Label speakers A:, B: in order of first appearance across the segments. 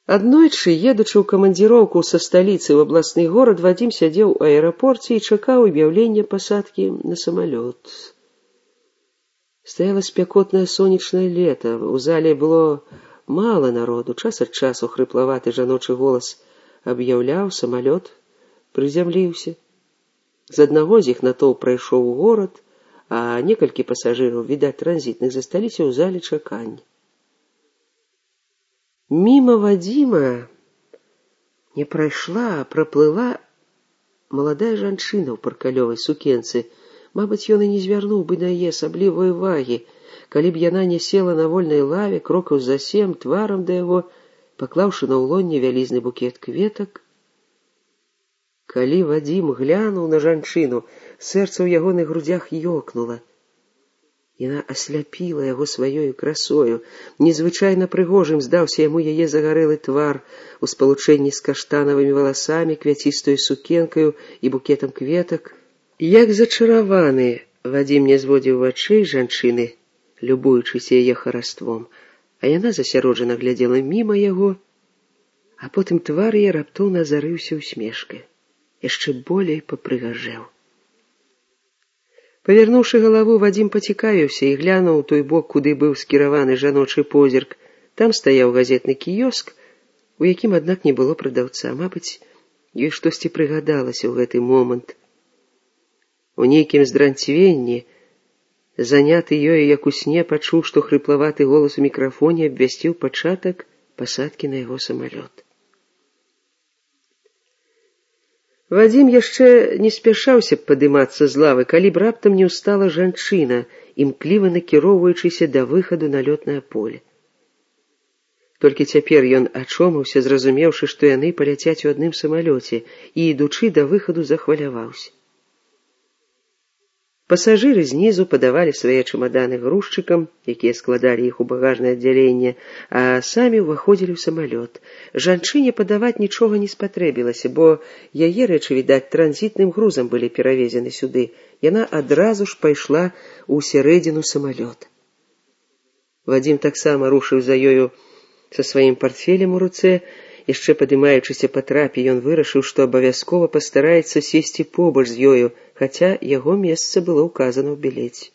A: Аднойчы, едучы ў камандзіроўку са сталіцы ў абласны горад, Вадзім сядзеў у аэрапорце і чакаў аб'яўлення пасадкі на самалёт. Стаяла спякотнае сонечнае лета, у зале было мала народу, час ад часу хрыплаваты жаночы голас аб'яўляў, самалёт прызямліўся. З аднаго з іх натоўп прайшоў у горад, а некалькі пасажыраў, відаць, транзітных, засталіся ў зале чакання. Міма Вадзіма не прайшла, а праплыла маладая жанчына ў паркалёвай сукенцы. Мабыць, ён і не звярнуў бы на яе асаблівай увагі, калі б яна не села на вольнай лаве, крокаў за 7, тварам да яго, паклаўшы на ўлонне вялізны букет кветак. Калі Вадзім глянуў на жанчыну, сэрца ў ягоных грудзях ёкнула. Яна асляпіла яго сваёю красою. Незвычайна прыгожым здаўся яму яе загарэлы твар у спалучэнні з каштанавымі валасамі, квяцістаю сукенкаю і букетам кветак. Як зачараваны, Вадзім не зводзіў вачэй жанчыны, любуючыся яе хараством, а яна засяроджана глядзела міма яго, а потым твар яе раптоўна азарыўся усмешкай, яшчэ болей папрыгажэў. Павярнуўшы галаву, Вадзім пацікавіўся і глянуў у той бок, куды быў скіраваны жаночы позірк. Там стаяў газетны кіёск, у якім, аднак, не было прадаўца. Мабыць, ёй штосьці прыгадалася ў гэты момант. У нейкім здранцвенні, заняты ёю, як у сне, пачуў, што хрыплаваты голас у мікрафоне абвясціў пачатак пасадкі на яго самалёт. Вадзім яшчэ не спяшаўся б падымацца з лавы, калі б раптам не ўстала жанчына, імкліва накіроўваючыся да выхаду на лётнае поле. Толькі цяпер ён ачомаўся, зразумеўшы, што яны паляцяць у адным самалёце, і, ідучы да выхаду, захваляваўся. Пасажыры знізу падавалі свае чамаданы грузчыкам, якія складалі іх у багажнае аддзяленне, а самі ўваходзілі ў самалёт. Жанчыне падаваць нічога не спатрэбілася, бо яе рэчы, відаць, транзітным грузам былі перавезены сюды. Яна адразу ж пайшла ў сярэдзіну самалёта. Вадзім таксама рушыў за ёю са сваім партфелем у руцэ. Яшчэ падымаючыся па трапе, ён вырашыў, што абавязкова пастараецца сесці побач з ёю, хаця яго месца было ўказана ў білеце.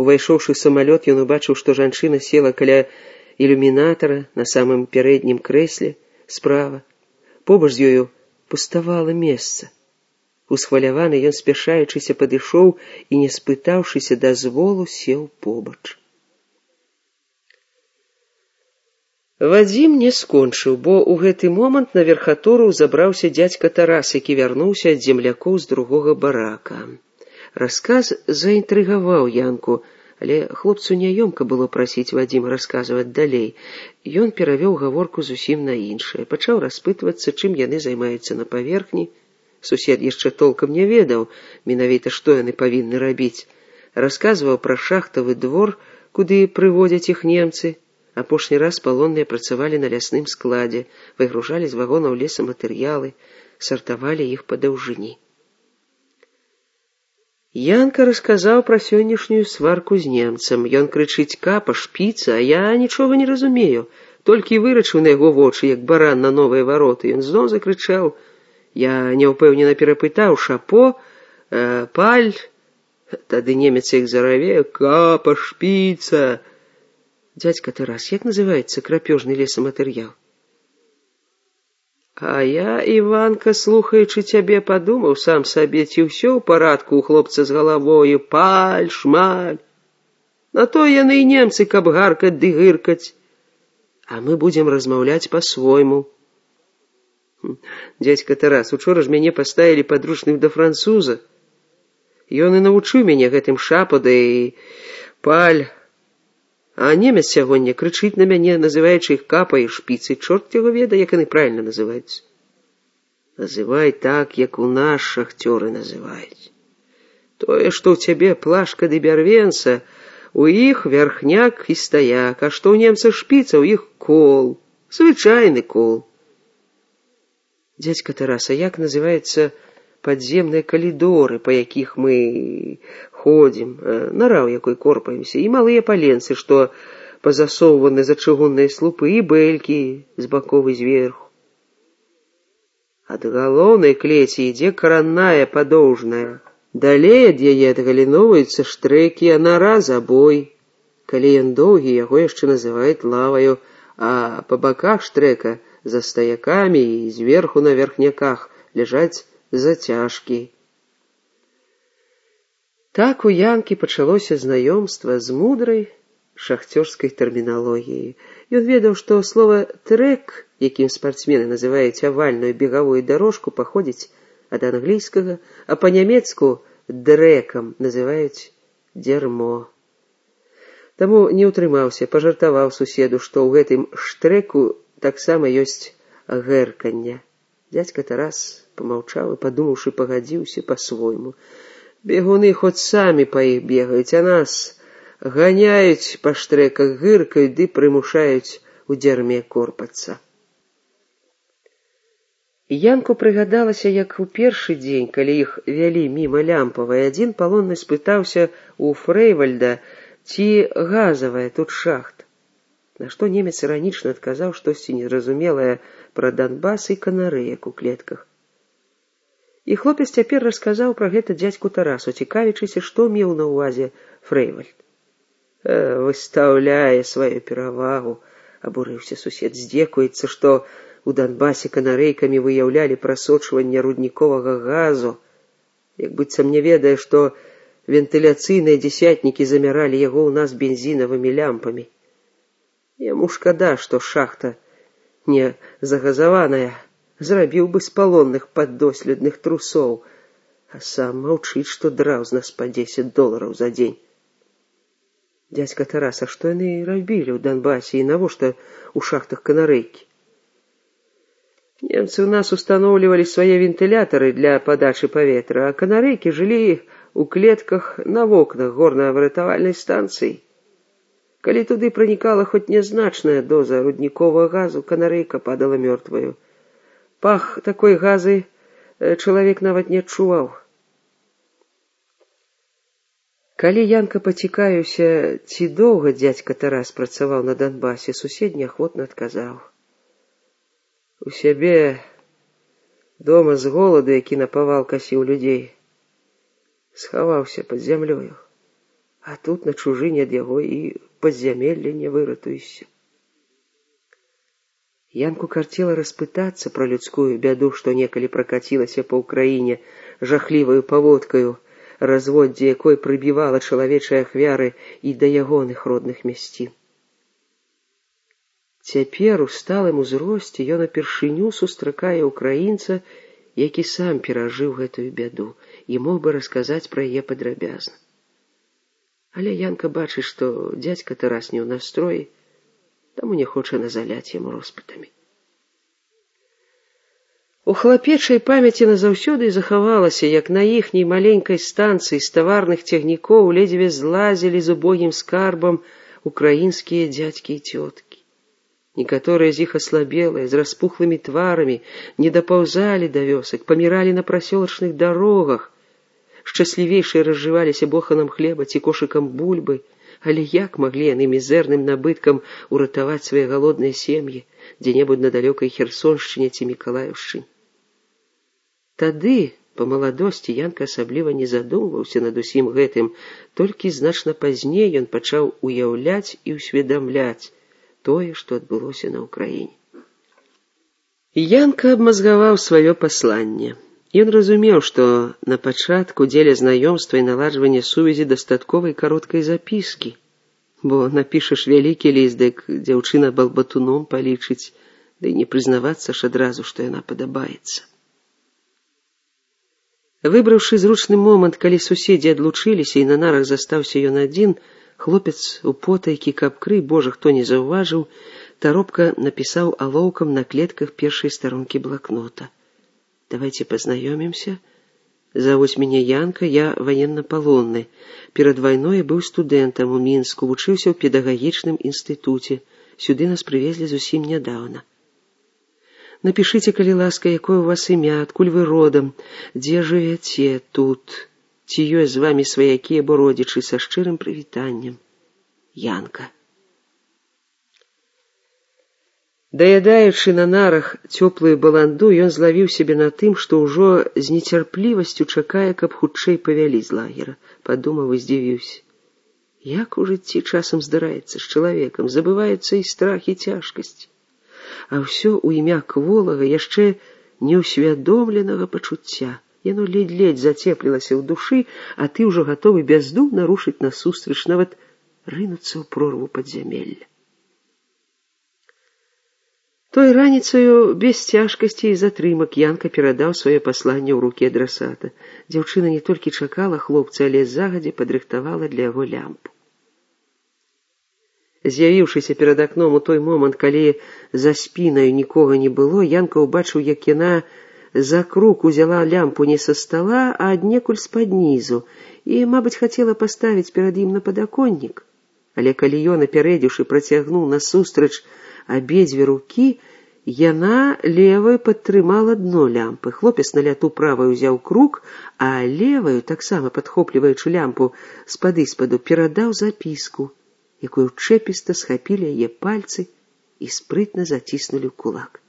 A: Увайшоўшы ў самалёт, ён убачыў, што жанчына села каля ілюмінатара на самым пярэднім крэсле справа. Побач з ёю пуставала месца. Усхваляваны, ён, спяшаючыся, падышоў і, не спытаўшыся дазволу, сеў побач. Вадзім не скончыў, бо ў гэты момант на верхатуру забраўся дзядзька Тарас, які вярнуўся ад землякоў з другога барака. Расказ заінтрыгаваў Янку, але хлопцу няёмка было прасіць Вадзіма расказваць далей. Ён перавёў гаворку зусім на іншае, пачаў распытвацца, чым яны займаюцца на паверхні. Сусед яшчэ толкам не ведаў, менавіта што яны павінны рабіць. Расказваў пра шахтавы двор, куды прыводзяць іх немцы. Апошні раз палонныя працавалі на лясным складзе, выгружалі з вагонаў лесаматэрыялы, сартавалі іх па даўжыні. Янка расказаў пра сённяшнюю сварку з немцам. Ён крычыць: «Капа, шпіца», а я нічога не разумею. Толькі вырачыў на яго вочы, як баран на новыя вароты. Ён зноў закрычаў. Я няўпэўнена перапытаў: «Шапо, паль?» Тады немец іх зараве: «Капа, шпіца». Дядька Тарас, як называецца крапёжны лесаматэрыял? А я, Іванка, слухаючы цябе, падумаў сам сабе, ці ўсё ў парадку ў хлопца з галавою, паль, шмаль. На то яны і немцы, каб гаркаць ды гыркаць. А мы будзем размаўляць па-свойму. Дядька Тарас, учора ж мяне паставілі падручных да француза. Ён і навучыў мяне гэтым шапа, да і паль. А немец сягоння крычыць на мяне, называючы іх капай і шпіцай. Чорт яго ведае, як яны правільна называюцца. Называй так, як у нас шахцёры называюць. Тое, што ў цябе плашка ды бярвенца, у іх вярхняк і стаяк, а што ў немца шпіца, у іх кол, звычайны кол. Дядька Тарас, а як называюцца падземныя калідоры, па якіх мы ходзім, нара ў якой корпаемся, і малыя паленцы, што пазасоўваны за чыгунныя слупы, і бэлькі з баков і зверху. Ад галоўнай клеці ідзе каранная падоўжная. Далей ад яе адгаліноўваюцца штрэкі, а нара забой. Калі ён доўгі, яго яшчэ называюць лаваю, а па баках штрэка за стаякамі і зверху на верхняках ляжаць зацяжкі. Так у Янкі пачалося знаёмства з мудрай шахцёрскай тэрміналогіяй. Ён ведаў, што слова «трэк», якім спартсмены называюць авальную бегавую дарожку, паходзіць ад англійскага, а па-нямецку «дрэкам» называюць «дзярмо». Таму не ўтрымаўся, пажартаваў суседу, што ў гэтым штрэку таксама ёсць гэрканне. Дзядзька Тарас памаўчаў і, падумаўшы, пагадзіўся па-свойму. Бегуны хоць самі па іх бегаюць, а нас ганяюць па штрэках, гыркаюць ды прымушаюць у дзярме корпацца. Янку прыгадалася, як у першы дзень, калі іх вялі міма лямпавай, адзін палонны спытаўся у Фрэйвальда, ці газавая тут шахта. На што немец іранічна адказаў штосьці незразумелае пра Донбас і канарэек у клетках. І хлопец цяпер расказаў пра гэта дзядзьку Тарасу, цікавячыся, што меў на ўвазе Фрэйвальд. Выстаўляе сваю перавагу, абурыўся сусед, здзекуецца, што у Донбасе канарэйкамі выяўлялі прасочванне рудніковага газу, як быццам не ведае, што вентыляцыйныя дзесятнікі замяралі яго ў нас бензінавымі лямпамі. Яму шкада, што шахта не загазаваная, зрабіў бы з палонных паддоследных трусоў, а сам маўчыць, што драў з нас па $10 за дзень. Дзядзька Тарас, а што яны рабілі ў Донбасе і навошта ў шахтах канарэйкі? Немцы ў нас устаноўлівалі свае вентылятары для падачы паветра, а канарэйкі жылі у клетках на вокнах горна-выратавальнай станцыі. Калі туды пранікала хоць нязначная доза рудніковага газу, канарэйка падала мёртваю. Пах такой газы чалавек нават не адчуваў. Калі Янка пацікаюся, ці доўга дзядзька Тарас працаваў на Донбасе, сусед неахвотна адказаў. У сябе дома з голаду, які напавал касіў людзей, схаваўся пад зямлёю, а тут на чужыне ад яго і падзямелля не выратуешся. Янку карцела распытацца пра людскую бяду, што некалі пракацілася па ўкраіне жахліваю паводкаю, разводдзе якой прыбівала чалавечыя ахвяры і да ягоных родных мясцін. Цяпер у сталым узросце ён упершыню сустракае ўкраінца, які сам перажыў гэтую бяду і мог бы расказаць пра яе падрабязна. Але Янка бачыць, што дзядзька Тарас не ў настроі, таму не хоча назаляць яму роспытамі. У хлапечай памяці назаўсёды захавалася, як на іхняй маленькай станцыі з таварных цягнікоў ледзьве злазілі з убогім скарбам украінскія дзядзькі і цёткі. Некаторыя з іх аслабелыя, з распухлымі тварамі, не дапаўзалі да вёсак, паміралі на прасёлачных дарогах, шчаслівейшыя разжываліся боханам хлеба ці кошыкам бульбы, але як маглі яны мізэрным набыткам уратаваць свае галодныя сем'і дзе-небудзь на далёкай Херсоншчыне ці Мікалаеўшчыне? Тады, па маладосці, Янка асабліва не задумваўся над усім гэтым, толькі значна пазней ён пачаў уяўляць і ўсведамляць тое, што адбылося на ўкраіне. Янка абмазгаваў сваё пасланне. Ён разумеў, што на пачатку дзеля знаёмства і наладжвання сувязі дастатковай кароткай запіскі, бо напішаш вялікі ліст, дык дзяўчына балбатуном палічыць, ды не прызнавацца ж адразу, што яна падабаецца. Выбраўшы зручны момант, калі суседзі адлучыліся і на нарах застаўся ён адзін, хлопец у потайкі, каб крый Божа хто не заўважыў, таропка напісаў алоўкам на клетках першай старонкі блакнота. «Давайте познаёмимся. Зовут меня Янка, я военно-полонный. Перед войной был студентом у Мінску, вучыўся ў педагагічным інстытуце. Сюды нас привезли зусім нядаўна. Напишите, калі ласка, якое у вас імя, адкуль вы родом, дзе жывяце тут, ці ёсць з вами сваякі або родзічы, са шчырым прывітаннем. Янка». Даядаючы на нарах цёплую баланду, ён злавіў сябе на тым, што ўжо з нецярплівасцю чакае, каб хутчэй павялі з лагера. Падумаў і здзівіўся. Як у жыцці часам здараецца з чалавекам, забываюцца і страх, і цяжкасць. А ўсё ў імя кволага, яшчэ неўсвядомленага пачуцця. Яно ледзь-ледзь зацеплілася ў душы, а ты ўжо гатовы бяздумна рушыць насустрач, нават рынуцца ў прорву падзямелля. Той раніцаю без цяжкасці і затрымак Янка перадаў сваё пасланне ў рукі адрасата. Дзяўчына не толькі чакала хлопца, але загадзя падрыхтавала для яго лямпу. З'явіўшыся перад акном у той момант, калі за спінаю нікога не было, Янка ўбачыў, як яна за круг узяла лямпу не са стала, а аднекуль з-пад нізу, і, мабыць, хацела паставіць перад ім на падаконнік. Але калі ён, апярэдзіўшы, працягнуў насустрач абедзве рукі, яна левай падтрымала дно лямпы. Хлопец на ляту правай узяў круг, а леваю, таксама падхопліваючы лямпу спаду, перадаў запіску, якую чэпіста схапілі яе пальцы і спрытна заціснулі ў кулак.